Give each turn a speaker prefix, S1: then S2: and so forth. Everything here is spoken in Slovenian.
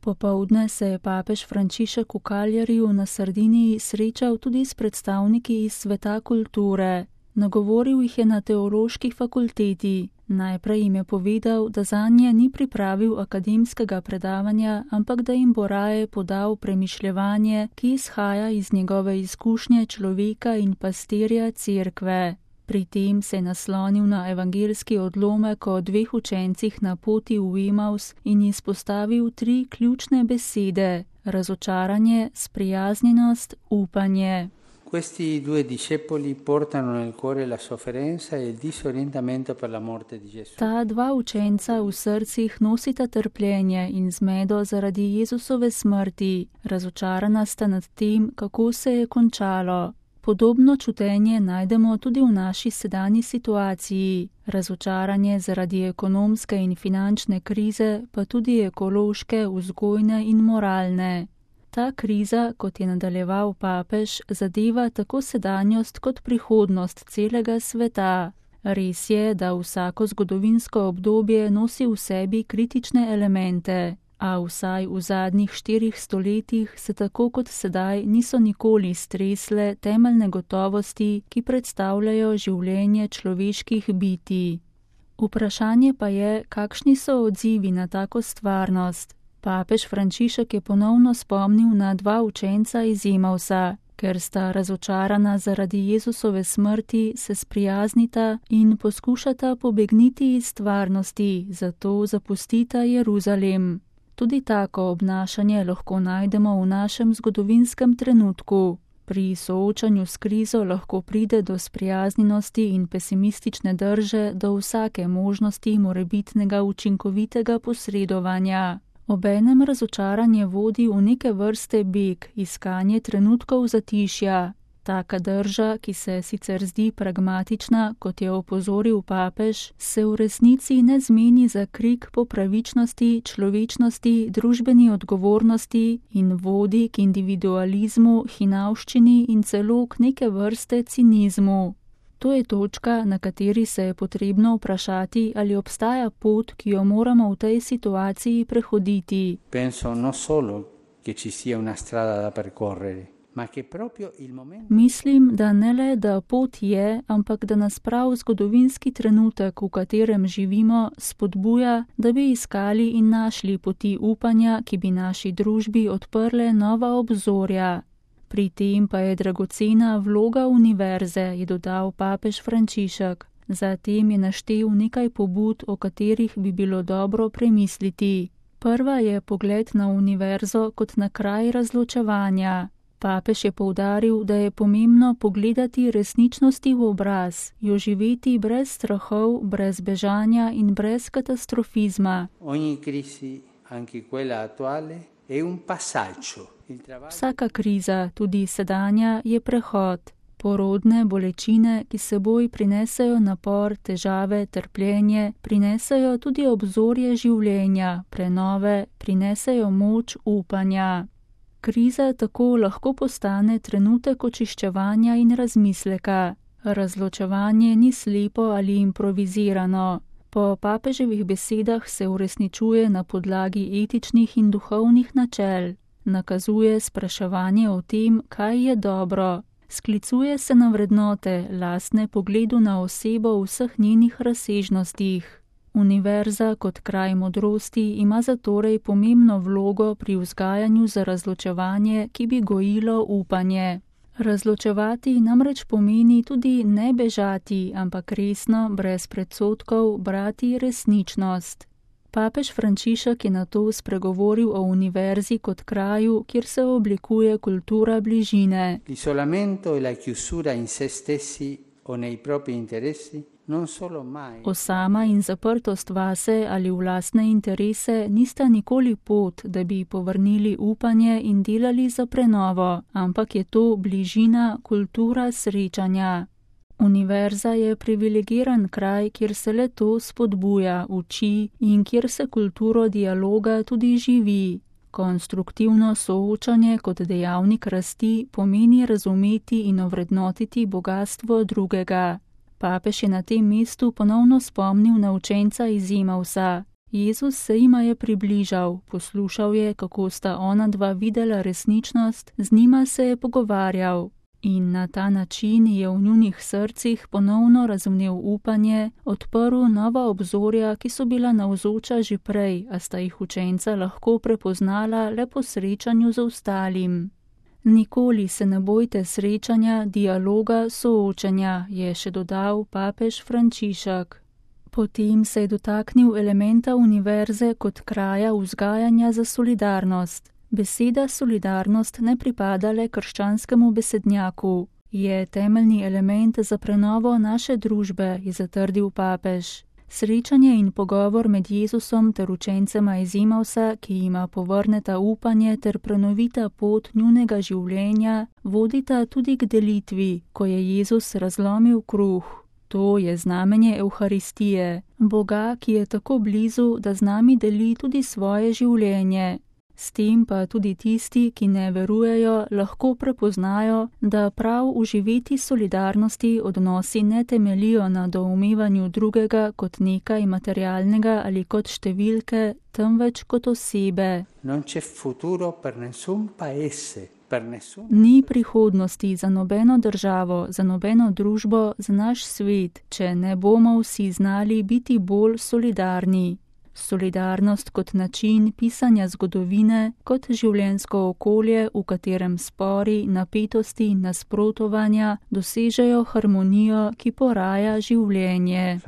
S1: Popoldne se je papež Frančišek v Cagliariju na Sardiniji srečal tudi s predstavniki iz sveta kulture. Nagovoril jih je na teološki fakulteti. Najprej jim je povedal, da zanje ni pripravil akademskega predavanja, ampak da jim bo raje podal premišljevanje, ki izhaja iz njegove izkušnje človeka in pastirja cerkve. Pri tem se je naslonil na evangeljski odlomek o 2 učencih na poti v Emaus in izpostavil 3 ključne besede: razočaranje, sprijaznjenost, upanje.
S2: Questi 2 discepoli portano nel cuore la sofferenza e il disorientamento per la morte di Gesù.
S1: Ta 2 učenca v srcih nosita trpljenje in zmedo zaradi Jezusove smrti. Razočarana sta nad tem, kako se je končalo. Podobno čutenje najdemo tudi v naši sedanji situaciji. Razočaranje zaradi ekonomske in finančne krize, pa tudi ekološke, vzgojne in moralne. Ta kriza, kot je nadaljeval papež, zadeva tako sedanjost kot prihodnost celega sveta. Res je, da vsako zgodovinsko obdobje nosi v sebi kritične elemente, a vsaj v zadnjih 4 stoletjih se tako kot sedaj niso nikoli stresle temeljne gotovosti, ki predstavljajo življenje človeških bitij. Vprašanje pa je, kakšni so odzivi na tako stvarnost. Papež Frančišek je ponovno spomnil na 2 učenca iz Emausa. Ker sta razočarana zaradi Jezusove smrti, se sprijaznita in poskušata pobegniti iz stvarnosti, zato zapustita Jeruzalem. Tudi tako obnašanje lahko najdemo v našem zgodovinskem trenutku. Pri soočanju s krizo lahko pride do sprijaznjenosti in pesimistične drže do vsake možnosti morebitnega učinkovitega posredovanja. Obenem razočaranje vodi v neke vrste beg, iskanje trenutkov zatišja. Taka drža, ki se sicer zdi pragmatična, kot je opozoril papež, se v resnici ne zmeni za krik po pravičnosti, človečnosti, družbeni odgovornosti in vodi k individualizmu, hinavščini in celo k neke vrste cinizmu. To je točka, na kateri se je potrebno vprašati, ali obstaja pot, ki jo moramo v tej situaciji prehoditi.
S2: Penso non solo che ci sia una strada da percorrere, ma che proprio il momento.
S1: Mislim, da ne le, da pot je, ampak da nas prav zgodovinski trenutek, v katerem živimo, spodbuja, da bi iskali in našli poti upanja, ki bi naši družbi odprle nova obzorja. Pri tem pa je dragocena vloga univerze, je dodal papež Frančišek. Zatem je naštel nekaj pobud, o katerih bi bilo dobro premisliti. Prva je pogled na univerzo kot na kraj razločevanja. Papež je poudaril, da je pomembno pogledati resničnosti v obraz, jo živeti brez strahov, brez bežanja in brez katastrofizma.
S2: Ogni crisi, anche quella attuale, è un passaggio.
S1: Vsaka kriza, tudi sedanja, je prehod. Porodne bolečine, ki seboj prinesejo napor, težave, trpljenje, prinesejo tudi obzorje življenja, prenove, prinesejo moč upanja. Kriza tako lahko postane trenutek očiščevanja in razmisleka. Razločevanje ni slepo ali improvizirano. Po papeževih besedah se uresničuje na podlagi etičnih in duhovnih načel. Nakazuje spraševanje o tem, kaj je dobro. Sklicuje se na vrednote, lastne pogledu na osebo v vseh njenih razsežnostih. Univerza kot kraj modrosti ima zatorej pomembno vlogo pri vzgajanju za razločevanje, ki bi gojilo upanje. Razločevati namreč pomeni tudi ne bežati, ampak resno, brez predsodkov, brati resničnost. Papež Frančišek je nato spregovoril o univerzi kot kraju, kjer se oblikuje kultura bližine.
S2: L'isolamento e la chiusura in se stessi o nei propri interessi non solo mai.
S1: Osama in zaprtost vase ali v lastne interese nista nikoli pot, da bi povrnili upanje in delali za prenovo, ampak je to bližina, kultura srečanja. Univerza je privilegiran kraj, kjer se le to spodbuja, uči in kjer se kulturo dialoga tudi živi. Konstruktivno soočanje kot dejavnik rasti pomeni razumeti in ovrednotiti bogastvo drugega. Papež je na tem mestu ponovno spomnil na učenca iz Emausa. Jezus se jima je približal, poslušal je, kako sta ona dva videla resničnost, z njima se je pogovarjal. In na ta način je v njunih srcih ponovno razvnel upanje, odprl nova obzorja, ki so bila navzoča že prej, a sta jih učenca lahko prepoznala le po srečanju z ostalim. Nikoli se ne bojte srečanja, dialoga, soočenja, je še dodal papež Frančišek. Potem se je dotaknil elementa univerze kot kraja vzgajanja za solidarnost. Beseda solidarnost ne pripada le krščanskemu besednjaku. Je temeljni element za prenovo naše družbe, je zatrdil papež. Srečanje in pogovor med Jezusom ter učencema iz Emausa, ki jima povrneta upanje ter prenovita pot njunega življenja, vodita tudi k delitvi, ko je Jezus razlomil kruh. To je znamenje Evharistije, Boga, ki je tako blizu, da z nami deli tudi svoje življenje. S tem pa tudi tisti, ki ne verujejo, lahko prepoznajo, da prav v živeti solidarnosti odnosi ne temeljijo na doumevanju drugega kot nekaj materialnega ali kot številke, temveč kot osebe. Ni prihodnosti za nobeno državo, za nobeno družbo, za naš svet, če ne bomo vsi znali biti bolj solidarni. Solidarnost kot način pisanja zgodovine, kot življenjsko okolje, v katerem spori, napetosti in nasprotovanja dosežejo harmonijo, ki poraja življenje.